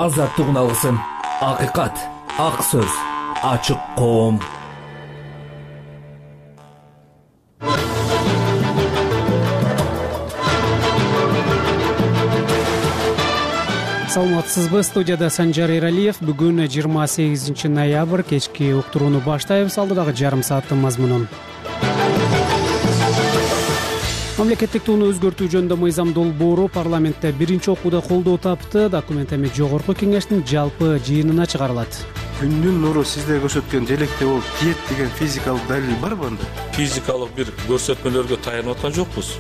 азаттык алсын. Акыйкат, ак сөз, ачык коом. Саламатсызбы, студияда Санжар Эралиев. Бүгүн 28 ноябрь кечки уктурууну баштайбыз. Алдыдагы жарым сааттын мазмунун. Мамлекеттик тууну өзгөртүү жөнүндө мыйзам долбоору парламентте биринчи окууда колдоо тапты. Документ эми жогорку кеңештин жалпы жыйынына чыгарылат. Күндүн нуру сизде көрсөткөн желекте болуп тиет деген физикалык далил барбы анда? Физикалык бир көрсөтмөлөргө таянып аткан жокпуз.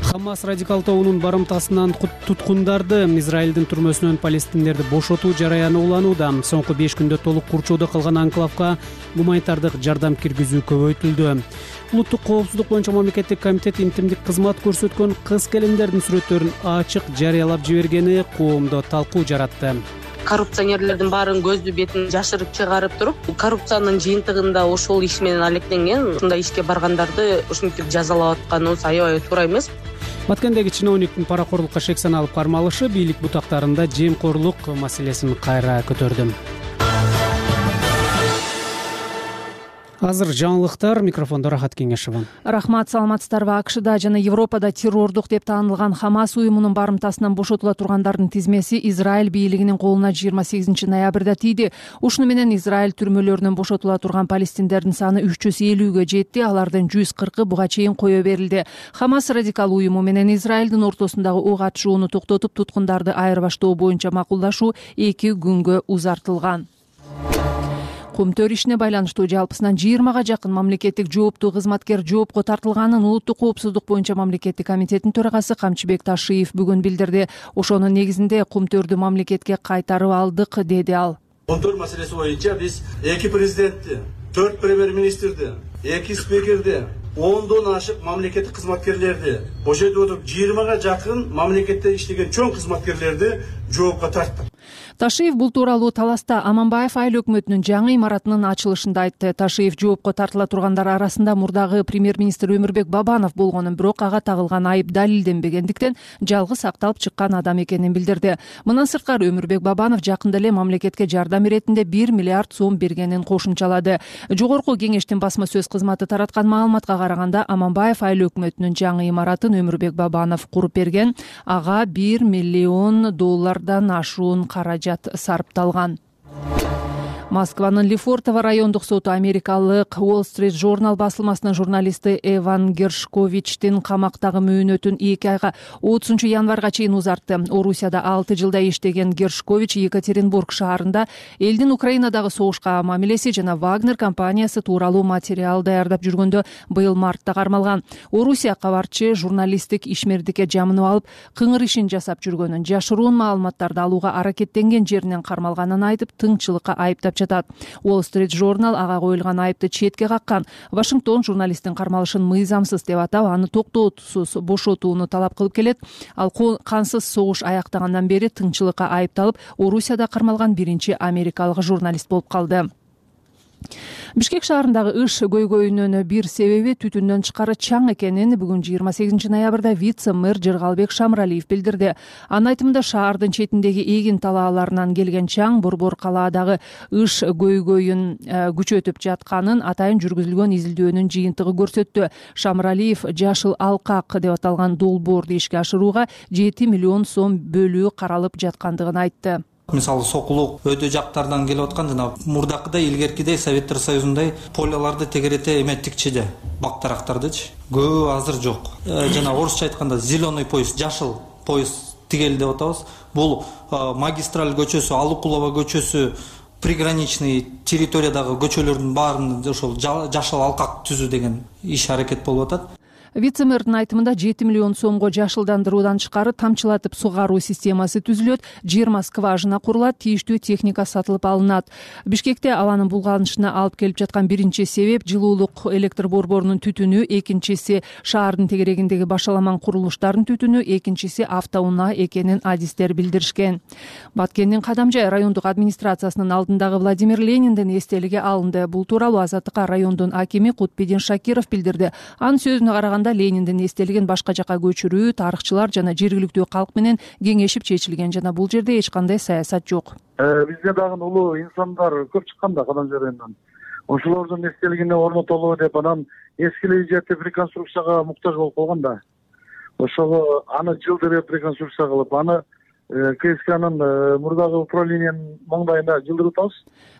Хамас радикал тобунун барымтасынан туткундарды Израилдин түрмөсүнөн палестиндерди бошотуу жараяны уланууда. Соңку 5 күндө толук курчоодо калган анклавга гуманитардык жардам киргизүү көбөйтүлдү. Улуттук коопсуздук боюнча мамлекеттик комитет интимдик кызмат көрсөткөн кыз-келиндердин сүрөттөрүн ачык жарыялап жибергени коомдо талкуу жаратты. Коррупционерлердин баарын көздү бетин жашырып чыгарып туруп, коррупциянын жыйынтыгында ошол иш менен алекленген, ушундай ишке баргандарды ушинтип жазалап атканыбыз аябай туура эмес. Баткендеги чиновниктин паракорлукка шек саналып кармалышы бийлик бутактарында жемкорлук маселесин кайра көтөрдү. Азыр жаңылыктар, микрофондо Рахат Кеңешева. Рахмат, саламатсыздарбы? АКШда жана Европада террордук деп таанылган Хамас уюмунун барымтасынан бошотула тургандардын тизмеси Израиль бийлигинин колуна 28 ноябрда тийди. Ушуну менен Израиль түрмөлөрүнөн бошотула турган палестиндердин саны 350-гө жетти. Алардын 140-ы буга чейин кое берилди. Хамас радикал уюму менен Израилдин ортосундагы ок атышууну токтотуп, туткундарды айырбаштоо боюнча макулдашуу 2 күнгө узартылган. Кумтөр ишине байланыштуу жалпысынан 20га жакын мамлекеттик жооптуу кызматкер жоопко тартылганын Улуттук коопсуздук боюнча мамлекеттик комитеттин төрагасы Камчыбек Ташиев бүгүн билдирди. Ошонун негизинде кумтөрдү мамлекетке кайтарып алдык, деди ал. Кумтөр маселеси боюнча биз 2 президентти, 4 премьер-министрди, 2 спикерди, 10дон ашык мамлекеттик кызматкерлерди бошотуп отуруп 20га жакын мамлекетте иштеген чоң кызматкерлерди жоопко тарттык. Ташиев бул тууралуу Таласта Аманбаев айыл өкмөтүнүн жаңы имаратынын ачылышында айтты. Ташиев жоопко тартыла тургандар арасында мурдагы премьер-министр Өмүрбек Бабанов болгонун, бирок ага тагылган айып далилденбегендиктен жалгыз акталып чыккан адам экенин билдирди. Мындан сырткары Өмүрбек Бабанов жакында эле мамлекетке жардам иретинде 1 миллиард сом бергенин кошумчалады. Жогорку кеңештин басма сөз кызматы тараткан маалыматка караганда, Аманбаев айыл өкмөтүнүн жаңы имаратын Өмүрбек Бабанов куруп берген. Ага $1 миллион ашуун каражат сарпталган. Москванын Лефортово райондук соту америкалык Wall Street Journal басылмасынын журналисти Эван Гершковичтин камактагы мөөнөтүн 2 айга 30 январга чейин узартты. Орусияда 6 жылда иштеген Гершкович Екатеринбург шаарында элдин Украинадагы согушка мамилеси жана Вагнер компаниясы тууралуу материал даярдап жүргөндө быйыл мартта кармалган. Орусия кабарчы журналисттик ишмердикке жамынып алып, кыңыр ишин жасап жүргөнүн, жашыруун маалыматтарды алууга аракеттенген жеринен кармалганын айтып, тыңчылыкка айыптап жатат. Wall Street Journal ага коюлган айыпты четке каккан. Вашингтон журналисттин кармалышын мыйзамсыз деп атап, аны токтоотусуз бошотууну талап кылып келет. Ал кансыз согуш аяктагандан бери тыңчылыкка айыпталып, Орусияда кармалган биринчи америкалык журналист болуп калды. Бишкек шаарындагы ыш көйгөйүнүн бир себеби түтүндөн тышкары чаң экенин бүгүн 28 ноябрда вице-мэр Жыргалбек Шамралиев билдирди. Анын айтымында, шаардын четиндеги эгин талааларынан келген чаң Борбор калаадагы ыш көйгөйүн күчөтүп жатканын атайын жүргүзүлгөн изилдөөнүн жыйынтыгы көрсөттү. Шамралиев жашыл алкак деп аталган долбоорду ишке ашырууга 7 миллион сом бөлүү каралып жаткандыгын айтты. Мисалы сокулук өтө жактардан келип аткан, жана мурдакыдай илгеркидей Советтер Союзундай поляларды тегерете эметикчиде бактарактардычы көбү азыр жок. Жана орусча айтканда зеленый поезд, жашыл поезд тигели деп атабыз. Бул магистраль көчөсү, Алыкулова көчөсү, приграничный территориядагы көчөлөрдүн баарын ошол жашыл алкак түзүү деген иш аракет болуп атат. Вице-мэрдин айтымында 7 миллион сомго жашылдандыруудан тышкары тамчылатып сугаруу системасы түзүлөт, 20 скважина курулат, тийиштүү техника сатылып алынат. Бишкекте абанын булганышына алып келип жаткан биринчи себеп жылуулук электр борборунун түтүнү, экинчиси шаардын тегерегиндеги башаламан курулуштардын түтүнү, экинчиси автоунаа экенин адистер билдиришкен. Баткендин Кадамжай райондук администрациясынын алдындагы Владимир Лениндин эстелиги алынды. Бул тууралуу Азаттыкка райондун акими Кутбидин Шакиров билдирди. Анын сөзүнө караганда, Өзбекстанда Лениндин эстелигин башка жака көчүрүү тарыхчылар жана жергиликтүү калк менен кеңешип чечилген жана бул жерде эч кандай саясат жок. Бизге дагы улуу инсандар көп чыккан да Кадам жарайынан. Ошолордун эстелигине орнотолу деп анан эскилей жетип реконструкцияга муктаж болуп калган да. Ошого аны жылдырып реконструкция кылып, аны КСКнын мурдагы управлениянын маңдайына жылдырып атабыз.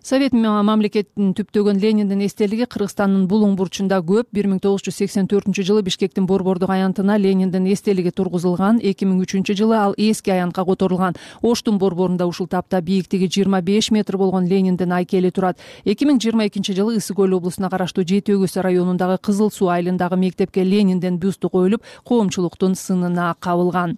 Совет мамлекетин түптөгөн Лениндин эстелиги Кыргызстандын Булуң бурчунда көп. 1984 Бишкектин Борбордук аянтына Лениндин эстелиги тургузулган. 2003 ал эски аянтка которулган. Оштун борборунда ушул тапта бийиктиги 25 метр болгон Лениндин айкели турат. 2022 Ысык Көл облусуна караштуу Жети Өгүз районундагы Кызыл Суу айылындагы мектепке Лениндин бюсту коюлуп, коомчулуктун сынына кабылган.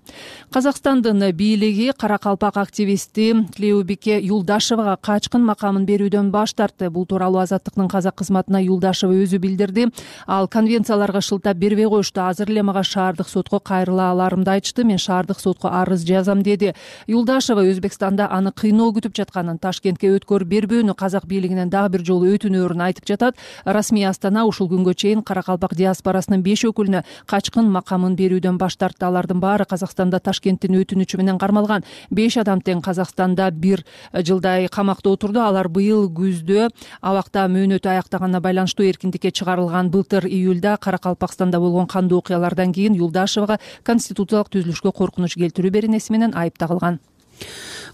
Казакстандын бийлиги Каракалпак активисти Клеубике Юлдашевага качкын макамын берүүдөн баш тартты. Бул тууралуу Азаттыктын казак кызматына Юлдашева өзү билдирди. Ал конвенцияларга шылтап бербей коюшту. Азыр эле мага шаардык сотко кайрыла аларымды айтышты. Мен шаардык сотко арыз жазам деди. Юлдашева Өзбекстанда аны кыйноо күтүп жатканын, Ташкентке өткөр бербөөнү казак бийлигинен дагы бир жолу өтүнөөрүн айтып жатат. Расмий Астана ушул күнгө чейин Каракалпак диаспорасынын 5 өкүлүнө качкын макамын берүүдөн баш тартты. Алардын баары Казакстанда Ташкенттин өтүнүчү менен кармалган. 5 адам тең Казакстанда 1 жылдай камакта отурду. Алар быйыл күздө абакта мөөнөтү аяктаганына байланыштуу эркиндикке чыгарылган. Былтыр июлда Каракалпакстанда болгон кандуу окуялардан кийин Юлдашевага конституциялык түзүлүшкө коркунуч келтирүү беренеси менен айып тагылган.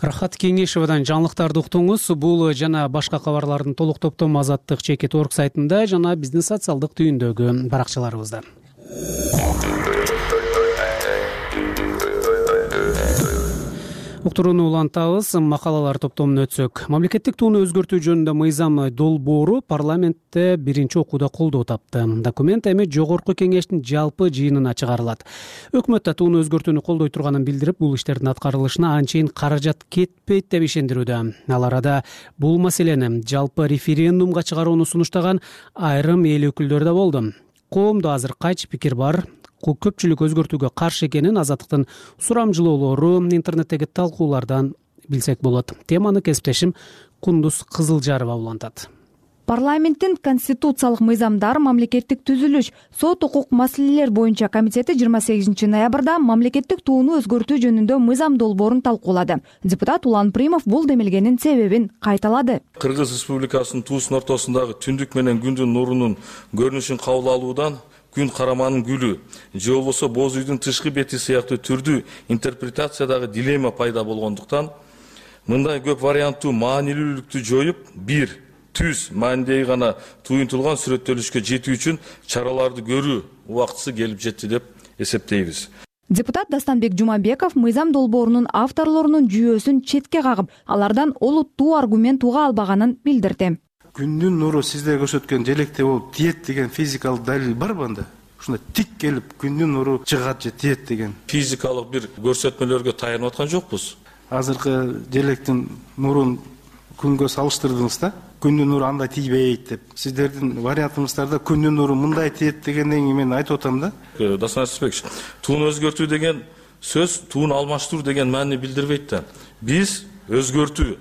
Рахат Кеңешевадан жаңылыктарды уктуңуз. Бул жана башка кабарлардын толук топтому Азаттык.org сайтында жана биздин социалдык түйүндөгү баракчаларыбызда. Уктурууну улантабыз. Макалалар топтомуна өтсөк. Мамлекеттик тууну өзгөртүү жөнүндө мыйзам долбоору парламентте биринчи окууда колдоо тапты. Документ эми жогорку кеңештин жалпы жыйынына чыгарылат. Өкмөт да тууну өзгөртүүнү колдой турганын билдирип, бул иштердин аткарылышына анчейин каражат кетпейт деп ишендирүүдө. Ал арада бул маселени жалпы референдумга чыгарууну сунуштаган айрым эл өкүлдөрү да болду. Коомдо азыр кайчы пикир бар? Көпчүлүк өзгөртүүгө каршы экенин Азаттыктын сурамжылоолору интернеттеги талкуулардан билсек болот. Теманы кесиптешим Кундуз Кызылжарова улантат. Парламенттин конституциялык мыйзамдар, мамлекеттик түзүлүш, сот укук маселелер боюнча комитети 28 ноябрда мамлекеттик тууну өзгөртүү жөнүндө мыйзам долбоорун талкуулады. Депутат Улан Примов бул демилгенин себебин кайталады. Кыргыз Республикасынын туусунун ортосундагы түндүк менен күндүн нурунун көрүнүшүн кабыл алуудан күн караманын гүлү же болбосо боз үйдүн тышкы бети сыяктуу түрдүү интерпретациядагы дилемма пайда болгондуктан мындай көп варианттуу маанилүүлүктү жоюп, бир түз маанидеги гана туюнтулган сүрөттөлүшкө жетүү үчүн чараларды көрүү убактысы келип жетти деп эсептейбиз. Депутат Дастанбек Жумабеков мыйзам долбоорунун авторлорунун жүйөсүн четке кагып, алардан олуттуу аргумент уга албаганын билдирди. Күндүн нуру сизде көрсөткөн желекте болуп тиет деген физикалык далил барбы анда? Ушундай тик келип күндүн нуру чыгат же тиет деген физикалык бир көрсөтмөлөргө таянып аткан жокпуз. Азыркы желектин нурун күнгө салыштырдыңыз да? Күндүн нуру андай тийбейт деп. Сиздердин вариантыңыздарда күндүн нуру мындай тиет дегенден кийин мен айтып атам да. Дасан Асысбекович, тууну өзгөртүү деген сөз тууну алмаштыруу деген маани билдирбейт да. Биз өзгөртүү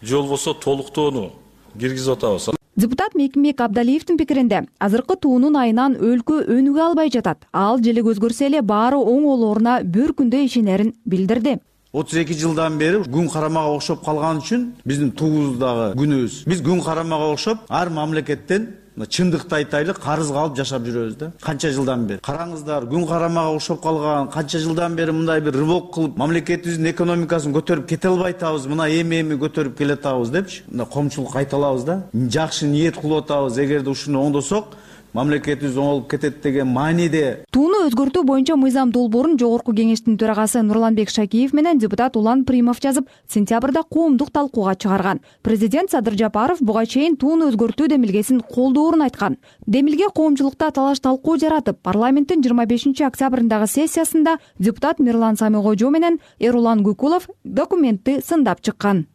же болбосо толуктоону киргизип атабыз. Депутат Мекимбек Абдалиевдин пикиринде, азыркы туунун айынан өлкө өнүгө албай жатат. Ал желек өзгөрсө эле баары оң болооруна бір күндө ишенерин билдирди. 32 жылдан бери күн карамага окшоп калган үчүн биздин туубуздагы күнүбүз. Биз күн карамага окшоп ар мамлекеттен чындыкты айтайлы карызга алып жашап жүрөбүз да. Канча жылдан бери. Караңыздар, күн карамага окшоп калган, канча жылдан бери мындай бир рывок кылып, мамлекетибиздин экономикасын көтөрүп кете албай атабыз, мына эми көтөрүп келе атабыз депчи. Мына коомчулук кайталабыз да. Жакшы ниет кылып атабыз, эгерде ушуну оңдосок, мамлекетибиз оңолуп кетет деген мааниде. Тууну өзгөртүү боюнча мыйзам долбоорун жогорку кеңештин төрагасы Нурланбек Шакиев менен депутат Улан Примов жазып, сентябрда коомдук талкууга чыгарган. Президент Садыр Жапаров буга чейин тууну өзгөртүү демилгесин колдоорун айткан. Демилге коомчулукта талаш талкуу жаратып, парламенттин 25 октябрындагы сессиясында депутат Мирлан Самигожо менен Эрулан Гүкулов документти сындап чыккан.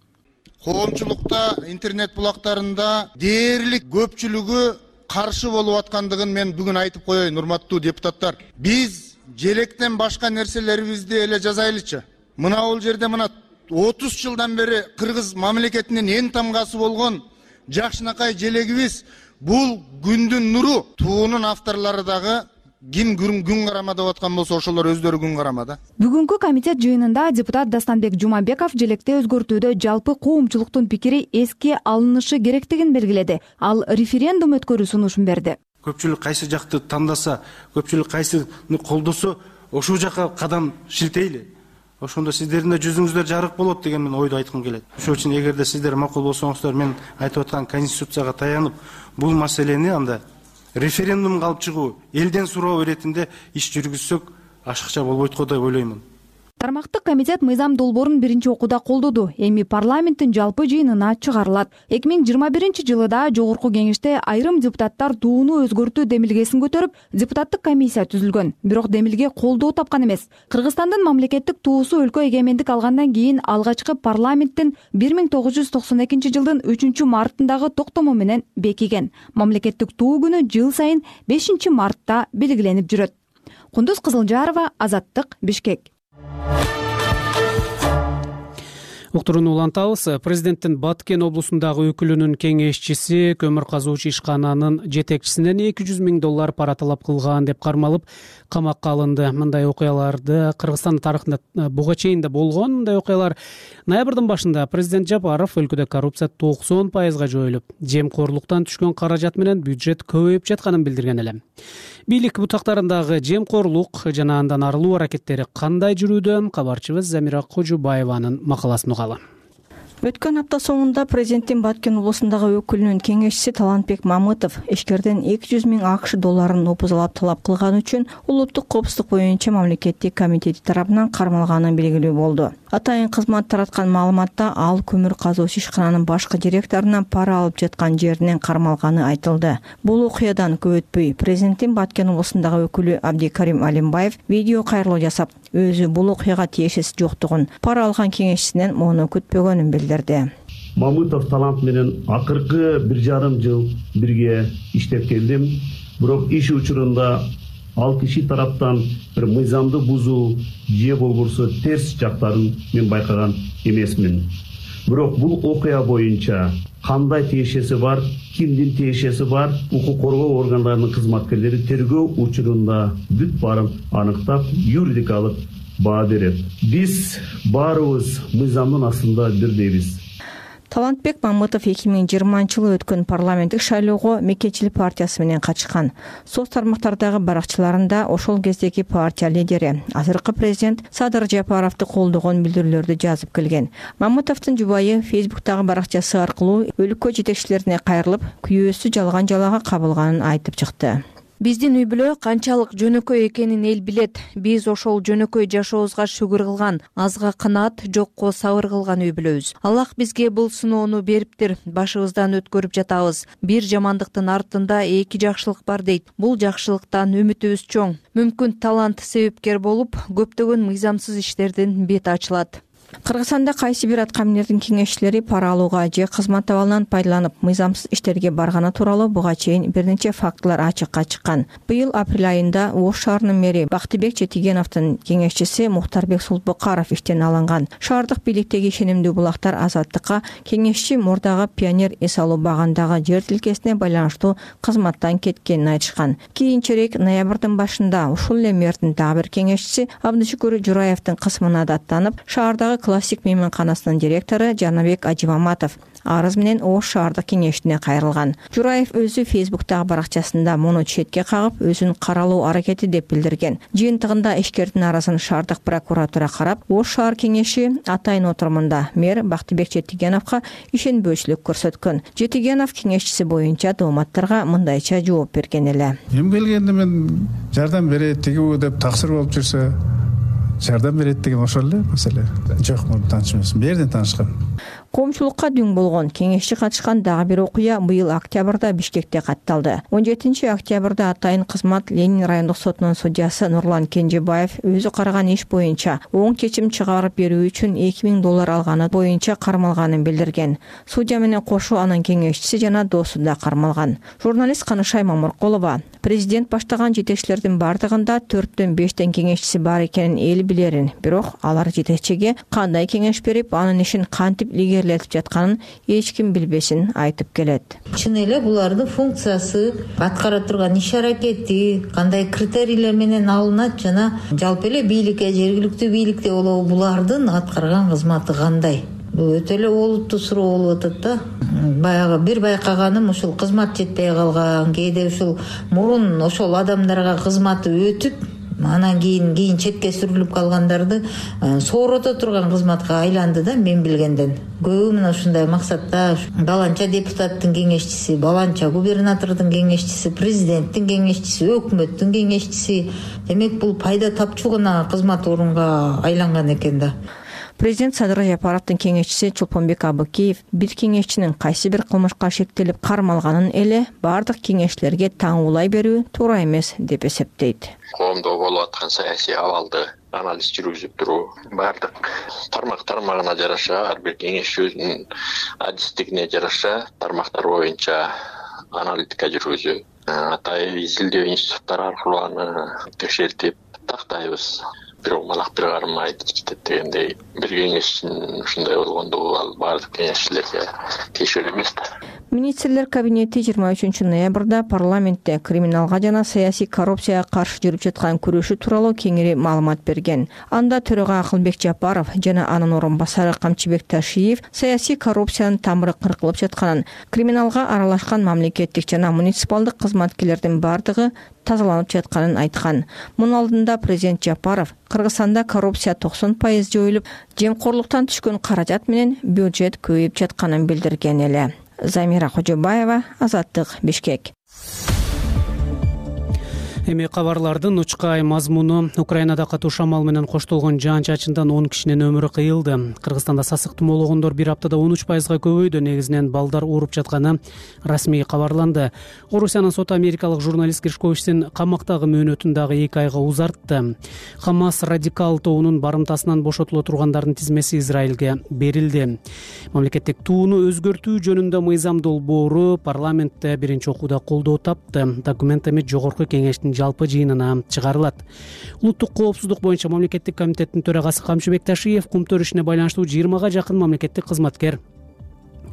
Коомчулукта интернет булактарында дээрлик көпчүлүгү каршы болуп аткандыгын мен бүгүн айтып коеюн, урматтуу депутаттар. Биз желектен башка нерселерибизди эле жазайлычы. Мына бул жерде мына 30 жылдан бери Кыргыз мамлекетинин эң тамгасы болгон жакшынакай желегибиз бул күндүн нуру. Туунун авторлору дагы ким күн карама деп аткан болсо ошолор өздөрү күн карама да. Бүгүнкү комитет жыйынында депутат Дастанбек Жумабеков желекте өзгөртүүдө жалпы коомчулуктун пикири эске алынышы керектигин белгиледи. Ал референдум өткөрүү сунушун берди. Көпчүлүк кайсы жакты тандаса, көпчүлүк кайсыны колдосо, ошол жака кадам шилтейли. Ошондо сиздердин да жүзүңүздөр жарык болот деген мен ойду айткым келет. Ошол үчүн эгерде сиздер макул болсоңуздар, мен айтып аткан конституцияга таянып, бул маселени анда референдумга алып чыгуу, элден суроо иретинде иш жүргүзсөк ашыкча болбойт го деп ойлоймун. Тармактык комитет мыйзам долбоорун биринчи окууда колдоду. Эми парламенттин жалпы жыйынына чыгарылат. 2021 да жогорку кеңеште айрым депутаттар тууну өзгөртүү демилгесин көтөрүп, депутаттык комиссия түзүлгөн. Бирок демилге колдоо тапкан эмес. Кыргызстандын мамлекеттик туусу өлкө эгемендик алгандан кийин алгачкы парламенттин 1992 жылдын 3-мартындагы токтому менен бекиген. Мамлекеттик туу күнү жыл сайын 5-мартта белгиленип жүрөт. Кундуз Кызылжарова, Азаттык, Бишкек. Уктурууну улантабыз. Президенттин Баткен облусундагы өкүлүнүн кеңешчиси көмүр казуучу ишкананын жетекчисинен $200,000 пара талап кылган деп кармалып камакка алынды. Мындай окуяларды Кыргызстан тарыхында буга чейин да болгон. Мындай окуялар ноябрдын башында президент Жапаров өлкөдө коррупция 90% жоюлуп, жемкорлуктан түшкөн каражат менен бюджет көбөйүп жатканын билдирген эле. Бийлик бутактарындагы жемкорлук жана андан арылуу аракеттери кандай жүрүүдө? Кабарчыбыз Замира Кожубаеванын макаласын угалы. Өткөн апта соңунда президенттин Баткен облусундагы өкүлүнүн кеңешчиси Талантбек Мамытов ишкерден $200,000 опузалап талап кылганы үчүн улуттук коопсуздук боюнча мамлекеттик комитети тарабынан кармалганы белгилүү болду. Атайын кызмат тараткан маалыматта ал көмүр казуучу ишкананын башкы директорунан пара алып жаткан жеринен кармалганы айтылды. Бул окуядан көп өтпөй президенттин Баткен облусундагы өкүлү Абдикарим Алимбаев видео кайрылуу жасап, өзү бул окуяга тиешеси жоктугун, пара алган кеңешчисинен муну күтпөгөнүн билдирди. Мамытов Талант менен акыркы 1,5 жыл бирге иштеп келдим. Бирок иш учурунда ал киши тараптан бир мыйзамды бузуу же болбосо терс жактарын мен байкаган эмесмин. Бирок бул окуя боюнча кандай тиешеси бар, кимдин тиешеси бар, укук коргоо органдарынын кызматкерлери тергөө учурунда бүт баарын аныктап, юридикалык баа берет. Биз баарыбыз мыйзамдын астында бирдейбиз. Талантбек Мамытов 2020-жылы өткөн парламенттик шайлоого Мекечилик партиясы менен катышкан. Соц тармактардагы баракчыларында ошол кездеги партия лидери, азыркы президент Садыр Жапаровду колдогон билдирүүлөрдү жазып келген. Мамытовдун жубайы Фейсбуктагы баракчасы аркылуу өлкө жетекчилерине кайрылып, күйөөсү жалган жалага кабылганын айтып чыкты. Биздин үй бүлө канчалык жөнөкөй экенин эл билет. Биз ошол жөнөкөй жашообузга шүгүр кылган, азга канаат, жокко сабыр кылган үй бүлөбүз. Аллах бизге бул сыноону бериптир. Башыбыздан өткөрүп жатабыз. Бир жамандыктын артында эки жакшылык бар дейт. Бул жакшылыктан үмүтүбүз чоң. Мүмкүн талант себепкер болуп, көптөгөн мыйзамсыз иштердин бети ачылат. Кыргызстанда кайсы бир аткаминердин кеңешчилери пара алууга же кызмат абалынан пайдаланып мыйзамсыз иштерге барганы тууралуу буга чейин бир нече фактылар ачыкка чыккан. Быйыл апрель айында Ош шаарынын мэри Бактыбек Четигеновдун кеңешчиси Мухтарбек Султбукаров иштен алынган. Шаардык бийликтеги ишенимдүү булактар Азаттыкка кеңешчи мурдагы Пионер эс алуу багындагы жер тилкесине байланыштуу кызматтан кеткенин айтышкан. Кийинчерээк ноябрдын башында ушул эле мэрдин дагы бир кеңешчиси Абдышүкүр Жураевдин кысмына даттанып, шаардагы классик мейманканасынын директору Жанабек Ажимаматов арыз менен Ош шаардык кеңешине кайрылган. Жураев өзү Фейсбуктагы баракчасында муну четке кагып, өзүн каралуу аракети деп билдирген. Жыйынтыгында ишкердин аразын шаардык прокуратура карап, Ош шаар кеңеши атайын отурумунда мэр Бактыбек Четигеновго ишенбөөчүлүк көрсөткөн. Четигенов кеңешчиси боюнча дооматтарга мындайча жооп берген эле. Эми келгенде мен жардам берет тигүү деп таксыр болуп жүрсө, жардам берет деген ошол эле маселе. Жок, муну тааныш эмес. Берден таанышкан. Коомчулукка дүң болгон кеңешчи катышкан дагы бир окуя быйыл октябрда Бишкекте катталды. 17-октябрда атайын кызмат Ленин райондук сотунун судьясы Нурлан Кенжебаев өзү караган иш боюнча оң чечим чыгарып берүү үчүн $2,000 алганы боюнча кармалганын билдирген. Судья менен кошо анын кеңешчиси жана досу да кармалган. Журналист Канышай Мамыркулова президент баштаган жетекчилердин бардыгында 4-төн 5тен кеңешчиси бар экенин эл билерин, бирок алар жетекчиге кандай кеңеш берип, анын ишин кантип кантип илгерилетип жатканын эч ким билбесин айтып келет. Чын эле булардын функциясы, аткара турган иш аракети кандай критерийлер менен алынат жана жалпы эле бийликке, жергиликтүү бийликте болобу булардын аткарган кызматы кандай? Бул өтө эле олуттуу суроо болуп атат да. Баягы бир байкаганым ушул кызмат жетпей калган, кээде ушул мурун ошол адамдарга кызматы өтүп, анан кийин четке сүрүлүп калгандарды соорото турган кызматка айланды да, мен билгенден. Көбү мына ушундай максатта баланча депутаттын кеңешчиси, баланча губернатордун кеңешчиси, президенттин кеңешчиси, өкмөттүн кеңешчиси. Демек бул пайда тапчу гана кызмат орунга айланган экен да. Президент Садыр Жапаровдун кеңешчиси Чолпонбек Абыкеев бир кеңешчинин кайсы бир кылмышка шектелип кармалганын эле бардык кеңешчилерге таңуулай берүү туура эмес деп эсептейт. Коомдо болуп аткан саясий абалды анализ жүргүзүп туруу, бардык тармагына жараша, ар бир кеңешчи өзүнүн адистигине жараша тармактар боюнча аналитика жүргүзүү, атайын изилдөө институттары аркылуу аны текшертип тактайбыз. Бирок малак бир карым айтып кетет дегендей, бир кеңешчинин ушундай болгондо ал бардык кеңешчилерге тиешелүү эмес да. Министрлер кабинети 23 ноябрда парламентте криминалга жана саясий коррупцияга каршы жүрүп жаткан күрөшү тууралуу кеңири маалымат берген. Анда төрага Акылбек Жапаров жана анын орун басары Камчыбек Ташиев саясий коррупциянын тамыры кыркылып жатканын, криминалга аралашкан мамлекеттик жана муниципалдык кызматкерлердин бардыгы тазаланып жатканын айткан. Мунун алдында президент Жапаров Кыргызстанда коррупция 90% жоюлуп, жемкорлуктан түшкөн каражат менен бюджет көбөйүп жатканын билдирген эле. Замира Кожобаева, Азаттык, Бишкек. Эми кабарлардын учкай мазмуну: Украинада катуу шамал менен коштолгон жаан-чачындан 10 кишинин өмүрү кыйылды. Кыргызстанда сасык тумоологондор бир аптада 13%га көбөйдү. Негизинен балдар ооруп жатканы расмий кабарланды. Орусиянын соты америкалык журналист Гришковичтин камактагы мөөнөтүн дагы 2 айга узартты. Хамас радикал тобунун барымтасынан бошотуло тургандардын тизмеси Израилге берилди. Мамлекеттик тууну өзгөртүү жөнүндө мыйзам долбоору парламентте биринчи окууда колдоо тапты. Документ эми жогорку кеңештин жалпы жыйынына чыгарылат. Улуттук коопсуздук боюнча мамлекеттик комитеттин төрагасы Камчыбек Ташиев кумтөр ишине байланыштуу 20га жакын мамлекеттик кызматкер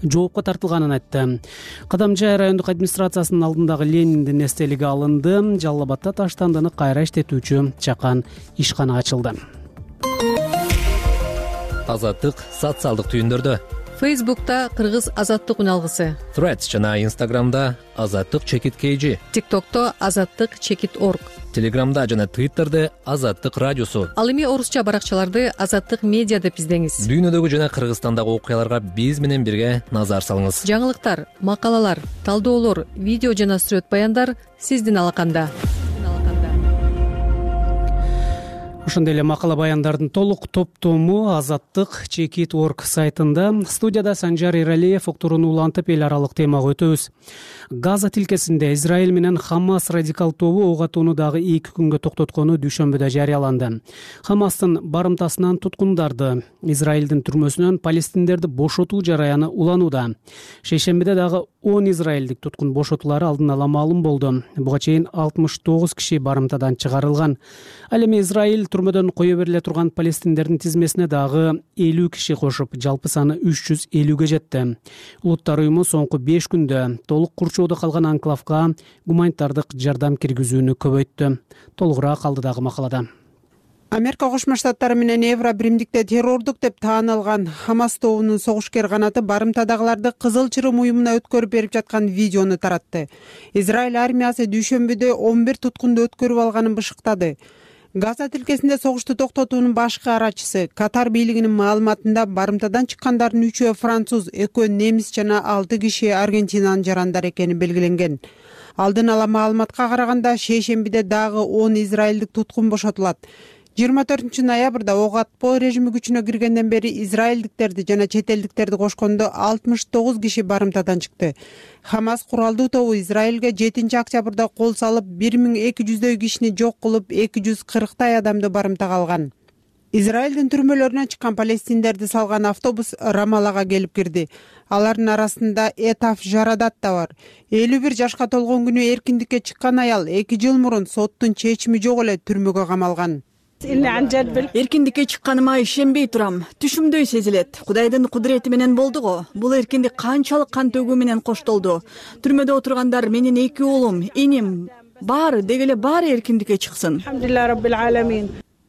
жоопко тартылганын айтты. Кадамжай райондук администрациясынын алдындагы Лениндин эстелиги алынды. Жалал Абадда таштандыны кайра иштетүүчү чакан ишкана ачылды. Азаттык социалдык түйүндөрдө. Фейсбукта Кыргыз азаттык үналгысы, Threads жана Инстаграмда азаттык чекит KG, ТикТокто азаттык чекит орг, Телеграмда жана Твиттерде азаттык радиосу. Ал эми орусча баракчаларды азаттык медиа деп издеңиз. Дүйнөдөгү жана Кыргызстандагы окуяларга биз менен бирге назар салыңыз. Жаңылыктар, макалалар, талдоолор, видео жана сүрөт баяндар сиздин алаканда. Ошондой эле макала баяндардын толук топтому азаттык чекит орг сайтында. Студияда Санжар Эралиев уктурууну улантып эл аралык темага өтөбүз. Газа тилкесинде Израиль менен Хамас радикал тобу ок атууну дагы 2 күнгө токтоткону дүйшөмбүдө жарыяланды. Хамастын барымтасынан туткундарды, Израилдин түрмөсүнөн палестиндерди бошотуу жараяны уланууда. Шейшембиде дагы 10 израилдик туткун бошотулары алдын ала маалым болду. Буга чейин 69 киши барымтадан чыгарылган. Ал эми Израиль түрмөдөн кое бериле турган палестиндердин тизмесине дагы 50 киши кошуп, жалпы саны 350ге жетти. Улуттар уюму соңку 5 күндө толук курчоодо калган анклавга гуманитардык жардам киргизүүнү көбөйттү. Толугураак алдыдагы макалада. Америка Кошмо Штаттары менен Евро биримдикте террордук деп таанылган Хамас тобунун согушкер канаты барымтадагыларды Кызыл Чырым уюмуна өткөрүп берип жаткан видеону таратты. Израиль армиясы дүйшөмбүдө 11 туткунду өткөрүп алганын бышыктады. Газа тилкесинде согушту токтотуунун башкы арачысы Катар бийлигинин маалыматында барымтадан чыккандардын 3-өө француз, 2-өө немис жана 6 киши Аргентинанын жарандары экени белгиленген. Алдын ала маалыматка караганда шейшембиде дагы 10 израилдик туткун бошотулат. 24 ноябрда ок атпоо режими күчүнө киргенден бери израилдиктерди жана чет элдиктерди кошкондо 69 киши барымтадан чыкты. Хамас куралдуу тобу Израилге 7-октябрда кол салып 1200дөй кишини жок кылып 240 адамды барымтага алган. Израилдин түрмөлөрүнөн чыккан палестиндерди салган автобус Рамалага келип кирди. Алардын арасында Этаф Жарадат да бар. 51 жашка толгон күнү эркиндикке чыккан аял 2 жыл мурун соттун чечими жок эле түрмөгө камалган. Эркиндикке чыкканыма ишенбей турам. Түшүмдөй сезилет. Кудайдын кудурети менен болду го. Бул эркиндик канчалык кан төгүү менен коштолду. Түрмөдө отургандар, менин 2 уулум, иним, баары деги эле баары эркиндикке чыксын.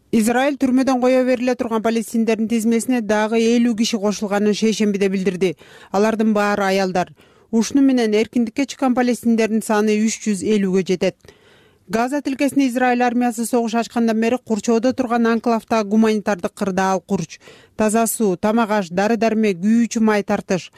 Израиль түрмөдөн кое бериле турган палестиндердин тизмесине дагы 50 киши кошулганын шейшембиде билдирди. Алардын баары аялдар. Ушуну менен эркиндикке чыккан палестиндердин саны 350-ге жетет. Газа тилкесине Израиль армиясы согуш ачкандан бери курчоодо турган анклавда гуманитардык кырдаал курч, таза суу, тамак аш, дары-дармек, күйүүчү май тартыш.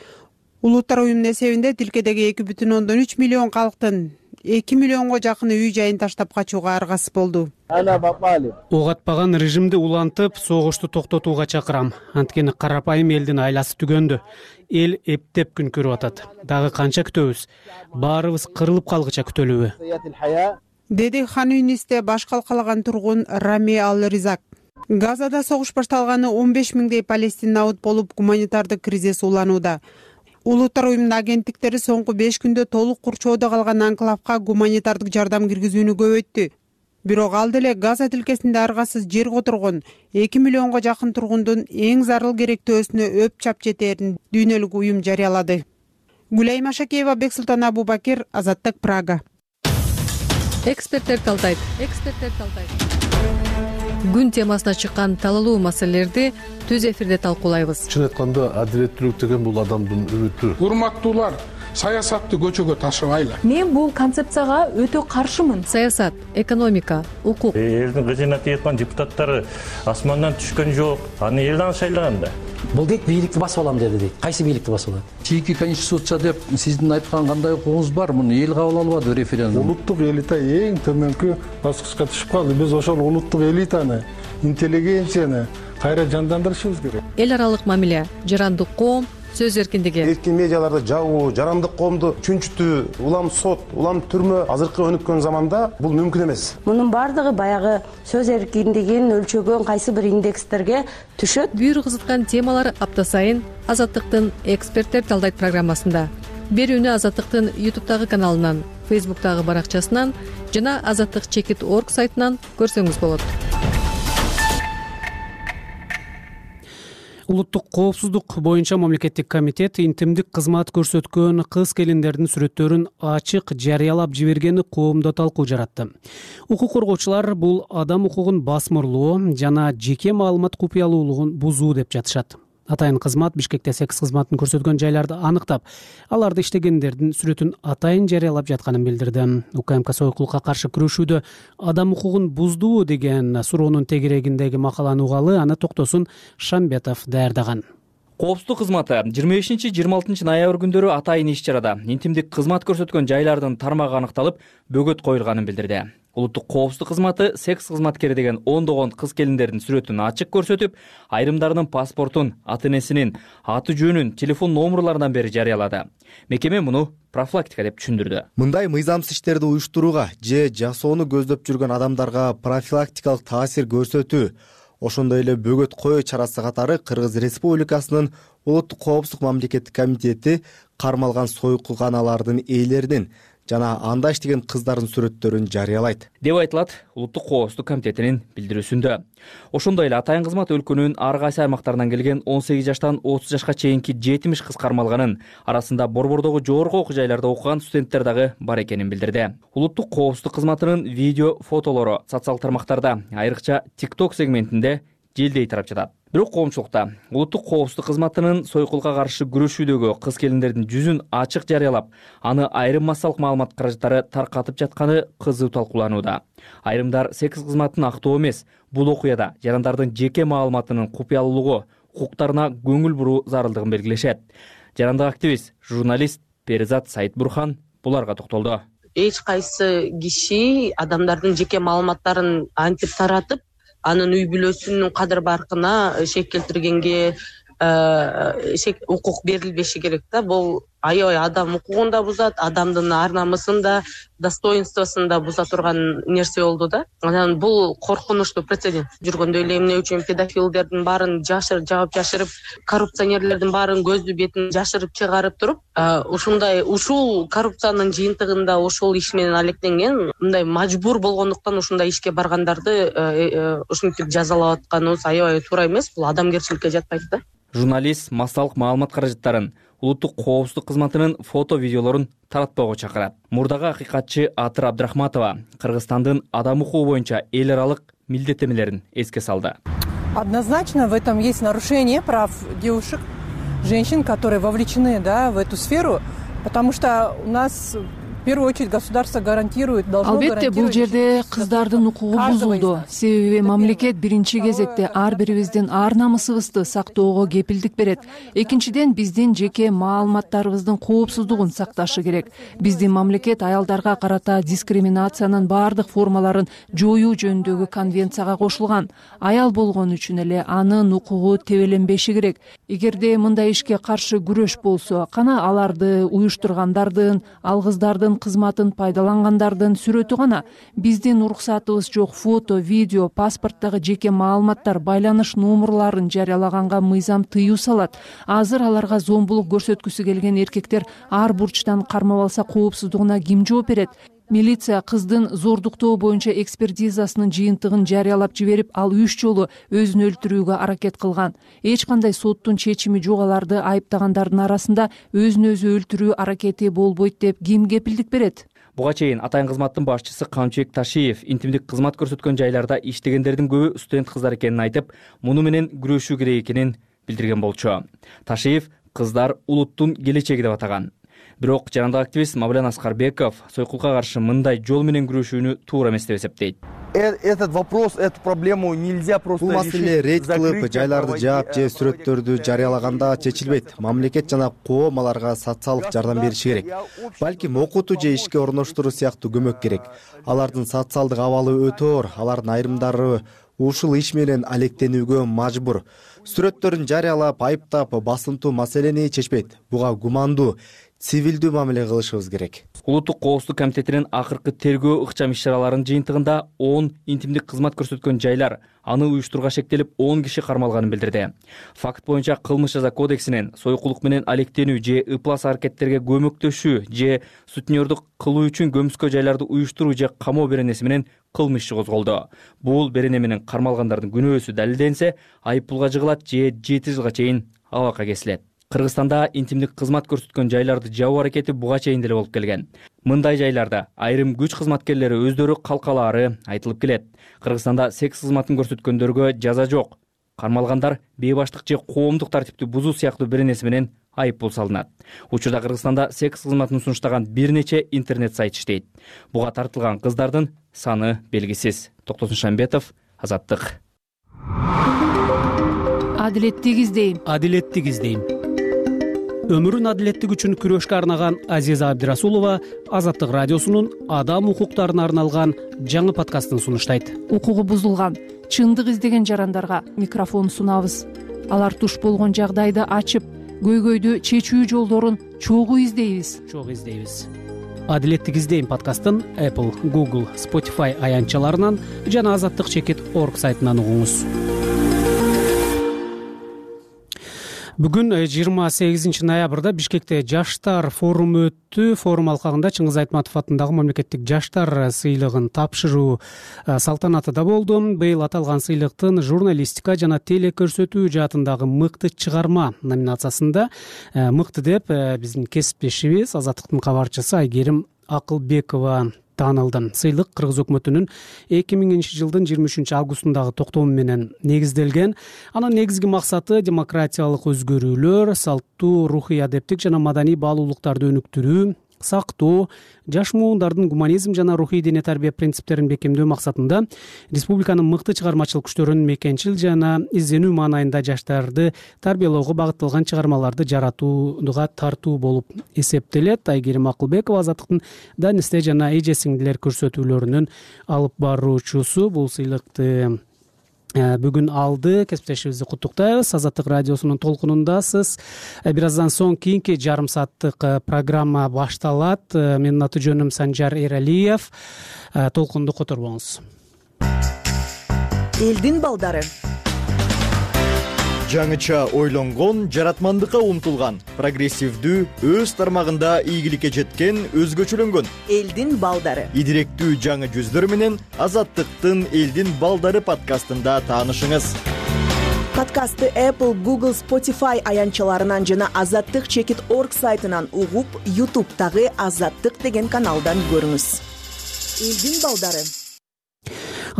Улуттар уюмунун эсебинде тилкедеги 2,3 миллион калктын 2 миллионго жакыны үй жайын таштап качууга аргасыз болду. Ок атпаган режимди улантып, согушту токтотууга чакырам. Анткени карапайым элдин айласы түгөндү. Эл эптеп күн көрүп атат. Дагы канча күтөбүз? Баарыбыз кырылып калгыча күтөлүбү? Деди Хан Юнисте баш калкалаган тургун Рами Ал-Ризак. Газада согуш башталганы 15 миңдей палестин набыт болуп, гуманитардык кризис уланууда. Улуттар уюмунун агенттиктери соңку 5 күндө толук курчоодо калган анклавга гуманитардык жардам киргизүүнү көбөйттү. Бирок ал деле Газа тилкесинде аргасыз жер которгон 2 миллионго жакын тургундун эң зарыл керектөөсүнө өп чап жетээрин дүйнөлүк уюм жарыялады. Гүлайым Ашакеева, Бексултан Абубакир, Азаттык, Прага. Эксперттер талдайт. Күн темасына чыккан талалуу маселелерди түз эфирде талкуулайбыз. Чын айтканда, адилеттүүлүк деген бул адамдын үмүтү. Урматтуулар, саясатты көчөгө ташыбайлы. Мен бул концепцияга өтө каршымын. Саясат, экономика, укук. Элдин кызына тийеткан депутаттары асмандан түшкөн жок. Аны элден шайлаган да. Бул дейт бийликти басып алам деди дейт. Кайсы бийликти басып алат? Чийки конституция деп сиздин айткан кандай укугуңуз бар? Муну эл кабыл албады референдум. Улуттук элита эң төмөнкү баскычка түшүп калды. Биз ошол улуттук элитаны, интеллигенцияны кайра жандандырышыбыз керек. Эл аралык мамиле, жарандык коом, сөз эркиндиги. Эркин медиаларды жабуу, жарандык коомду чүнчүтүү, улам сот, улам түрмө азыркы өнүккөн заманда бул мүмкүн эмес. Мунун бардыгы баягы сөз эркиндигин өлчөгөн кайсы бир индекстерге түшөт. Бүйүр кызыткан темалар апта сайын Азаттыктын эксперттер талдайт программасында. Берүүнү Азаттыктын YouTube'дагы каналынан, Facebook'дагы баракчасынан жана azattik.org сайтынан көрсөңүз болот. Улуттук коопсуздук боюнча мамлекеттик комитет интимдик кызмат көрсөткөн кыз келиндердин сүрөттөрүн ачык жарыялап жибергени коомдо талкуу жаратты. Укук коргоочулар бул адам укугун басмырлоо жана жеке маалымат купуялуулугун бузуу деп жатышат. Атайын кызмат Бишкекте секс кызматын көрсөткөн жайларды аныктап, аларды иштегендердин сүрөтүн атайын жарыялап жатканын билдирди. УКМК сойкулукка каршы күрөшүүдө адам укугун буздуу деген суроонун тегерегиндеги макаланы угалы, аны Токтосун Шамбетов даярдаган. Коопсуздук кызматы 25-26 ноябрь күндөрү атайын иш чарада интимдик кызмат көрсөткөн жайлардын тармагы аныкталып, бөгөт коюлганын билдирди. Улуттук коопсуздук кызматы секс кызматкери деген ондогон кыз келиндердин сүрөтүн ачык көрсөтүп, айрымдарынын паспортун, ата-энесинин аты жөнүн, телефон номерларынан бери жарыялады. Мекеме муну профилактика деп түшүндүрдү. Мындай мыйзамсыз иштерди уюштурууга же жасоону көздөп жүргөн адамдарга профилактикалык таасир көрсөтүү, ошондой эле бөгөт коюу чарасы катары Кыргыз Республикасынын Улуттук коопсуздук мамлекеттик комитети кармалган сойкулканалардын ээлеринин жана анда иштеген кыздардын сүрөттөрүн жарыялайт деп айтылат Улуттук коопсуздук комитетинин билдирүүсүндө. Ошондой эле атайын кызмат өлкөнүн ар кайсы аймактарынан келген 18 жаштан 30 жашка чейинки 70 кыз кармалганын, арасында борбордогу жогорку окуу жайларда окуган студенттер дагы бар экенин билдирди. Улуттук коопсуздук кызматынын видео фотолору социал тармактарда, айрыкча TikTok сегментинде желдей тарап жатат. Бирок коомчулукта Улуттук коопсуздук кызматынын сойкулга каршы күрөшүүдөгү кыз келиндердин жүзүн ачык жарыялап, аны айрым массалык маалымат каражаттары таркатып жатканы кызуу талкууланууда. Айрымдар секс кызматын актоо эмес, бул окуяда жарандардын жеке маалыматынын купуялуулугу, укуктарына көңүл буруу зарылдыгын белгилешет. Жарандык активист, журналист Перизат Саитбурхан буларга токтолду. Эч кайсы киши адамдардын жеке маалыматтарын антип таратып, анын үй бүлөсүнүн кадыр баркына шек келтиргенге укук берилбеши керек да. Бул аябай адам укугун да бузат, адамдын ар намысын да, достоинствосун да буза турган нерсе болду да. Анан бул коркунучтуу прецедент. Жүргөндө эле эмне үчүн педофилдердин баарын жаап жашырып, коррупционерлердин баарын көздү бетин жашырып чыгарып туруп, ушул коррупциянын жыйынтыгында ошол иш менен алектенген, мындай мажбур болгондуктан ушундай ишке баргандарды ушинтип жазалап атканыбыз аябай туура эмес. Бул адамгерчиликке жатпайт да. Журналист массалык маалымат каражаттарын улуттук коопсуздук кызматынын фото видеолорун таратпоого чакырат. Мурдагы акыйкатчы Атыр Абдрахматова Кыргызстандын адам укугу боюнча эл аралык милдеттенмелерин эске салды. Однозначно в этом есть нарушение прав девушек, женщин, которые вовлечены, в эту сферу, потому что у нас в первую очередь государство гарантирует, должно гарантировать. Албетте бул жерде кыздардын укугу бузулду. Себеби мамлекет биринчи кезекте ар бирибиздин ар намысыбызды сактоого кепилдик берет. Экинчиден биздин жеке маалыматтарыбыздын коопсуздугун сакташы керек. Биздин мамлекет аялдарга карата дискриминациянын баардык формаларын жоюу жөнүндөгү конвенцияга кошулган. Аял болгон үчүн эле анын укугу тебеленбеши керек. Эгерде мындай ишке каршы күрөш болсо, кана аларды уюштургандардын, алгыздардын кызматын пайдалангандардын сүрөтү гана. Биздин уруксатыбыз жок фото, видео, паспорттогу жеке маалыматтар, байланыш номерларын жарыялаганга мыйзам тыюу салат. Азыр аларга зомбулук көрсөткүсү келген эркектер ар бурчтан кармап алса коопсуздугуна ким жооп берет? Милиция кыздын зордуктоо боюнча экспертизасынын жыйынтыгын жарыялап жиберип, ал 3 жолу өзүн өлтүрүүгө аракет кылган. Эч кандай соттун чечими жок аларды айыптагандардын арасында өзүн өзү өлтүрүү аракети болбойт деп ким кепилдик берет? Буга чейин атайын кызматтын башчысы Камчыбек Ташиев интимдик кызмат көрсөткөн жайларда иштегендердин көбү студент кыздар экенин айтып, муну менен күрөшүү керек экенин билдирген болчу. Ташиев кыздар улуттун келечеги деп атаган. Бирок жарандык активист Мавлян Аскарбеков сойкулукка каршы мындай жол менен күрөшүүнү туура эмес деп эсептейт. Этот вопрос, эту проблему нельзя просто решить. Бул маселе рейд кылып, жайларды жаап же сүрөттөрдү жарыялаганда чечилбейт. Мамлекет жана коом аларга социалдык жардам бериши керек. Балким окутуу же ишке орноштуруу сыяктуу көмөк керек. Алардын социалдык абалы өтө оор, алардын айрымдары ушул иш менен алектенүүгө мажбур. Сүрөттөрүн жарыялап, айыптап, басынтуу маселени чечпейт. Буга гумандуу, цивилдүү мамиле кылышыбыз керек. Улуттук коопсуздук комитетинин акыркы тергөө ыкчам иш-чараларынын жыйынтыгында 10 интимдик кызмат көрсөткөн жайлар, аны уюштурууга шектелип 10 киши кармалганын билдирди. Факт боюнча кылмыш жаза кодексинин союкулук менен алектенүү же ыплас аракеттерге көмөктөшүү же сутенердук кылуу үчүн көмүскө жайларды уюштуруу же камоо беренеси менен кылмыш иши козголду. Бул берене менен кармалгандардын күнөөсү далилденсе, айыппулга жыгылат же 7 жылга чейин абакка кесилет. Кыргызстанда интимдик кызмат көрсөткөн жайларды жабуу аракети буга чейин деле болуп келген. Мындай жайларда айрым күч кызматкерлери өздөрү калкалаары айтылып келет. Кыргызстанда секс кызматын көрсөткөндөргө жаза жок. Кармалгандар бейбаштык же коомдук тартипти бузуу сыяктуу беренеси менен айыппул салынат. Учурда Кыргызстанда секс кызматын сунуштаган бир нече интернет сайт иштейт. Буга тартылган кыздардын саны белгисиз. Токтосун Шамбетов, Азаттык. Адилеттик издейм. Өмүрүн адилеттик үчүн күрөшкө арнаган Азиза Абдирасулова Азаттык радиосунун адам укуктарына арналган жаңы подкастын сунуштайт. Укугу бузулган, чындык издеген жарандарга микрофон сунабыз. Алар туш болгон жагдайды ачып, көйгөйдү чечүү жолдорун чогуу издейбиз. Адилеттик издейм подкастын Apple, Google, Spotify аянтчаларынан жана azattik.org сайтынан угуңуз. Бүгүн 28 ноябрда Бишкекте жаштар форуму өттү. Форум алкагында Чыңгыз Айтматов атындагы мамлекеттик жаштар сыйлыгын тапшыруу салтанаты да болду. Быйыл аталган сыйлыктын журналистика жана телекөрсөтүү жаатындагы мыкты чыгарма номинациясында мыкты деп биздин кесиптешибиз Азаттыктын кабарчысы Айгерим Акылбекова таанылды. Сыйлык Кыргыз өкмөтүнүн 2000-жылдын 23-августундагы токтому менен негизделген. Анын негизги максаты демократиялык өзгөрүүлөр, салттуу рухий адептик жана маданий баалуулуктарды өнүктүрүү, сактоо, жаш муундардын гуманизм жана рухий дене тарбия принциптерин бекемдөө максатында республиканын мыкты чыгармачылык күчтөрүн мекенчил жана изденүү маанайында жаштарды тарбиялоого багытталган чыгармаларды жаратууга тартуу болуп эсептелет. Айгерим Акылбекова Азаттыктын Данисте жана эже сиңдилер көрсөтүүлөрүнүн алып баруучусу. Бул сыйлыкты бүгүн алды. Кесиптешибизди куттуктайбыз. Азаттык радиосунун толкунундасыз. Бир аздан соң кийинки жарым сааттык программа башталат. Менин аты жөнүм Санжар Эралиев. Толкунду которбоңуз. Элдин балдары. Жаңыча ойлонгон, жаратмандыкка умтулган, прогрессивдүү, өз тармагында ийгиликке жеткен, өзгөчөлөнгөн элдин балдары. Идиректүү жаңы жүздөр менен Азаттыктын Элдин балдары подкастында таанышыңыз. Подкастты Apple, Google, Spotify аянтчаларынан жана azattik.org сайтынан угуп, YouTube'дагы Азаттык деген каналдан көрүңүз. Элдин балдары.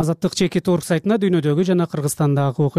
Азаттык.org сайтына дүйнөдөгү жана Кыргызстандагы